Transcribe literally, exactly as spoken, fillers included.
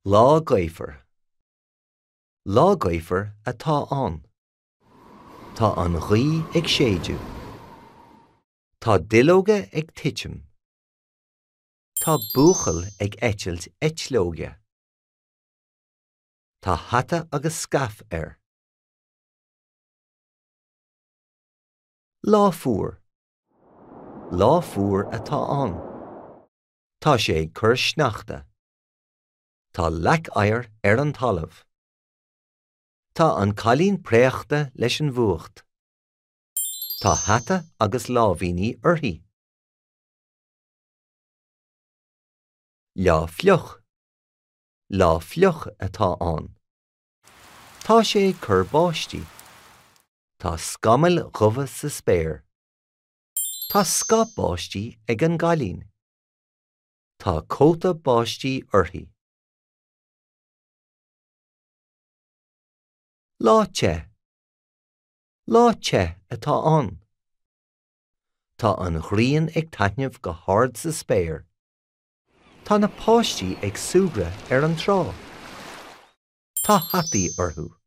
Lá gaofar. Lá gaofar atá ann. Tá an ghaoth ag séideadh. Tá duilleoga ag titim. Tá buachaill ag eitilt eitleoige. Tá hata agus scaif air. Lá fuar. Lá fuar atá ann. Tá sé ag cur sneachta. Tá leac oighir ar an talamh. Tá an cailín préachta leis an bhfuacht. Tá hata agus láimhíní uirthi. Lá fliuch. Lá fliuch atá ann. Tá sé ag cur báistí. Tá scamaill dhubha sa spéir. Tá scáth báistí ag an gcailín. Tá cóta báistí uirthi. Lá te. Lá te atá ann. Tá an ghrian ag taitneamh go hard sa spéir. Tá na páistí ag súgradh ar an trá. Tá hataí orthu.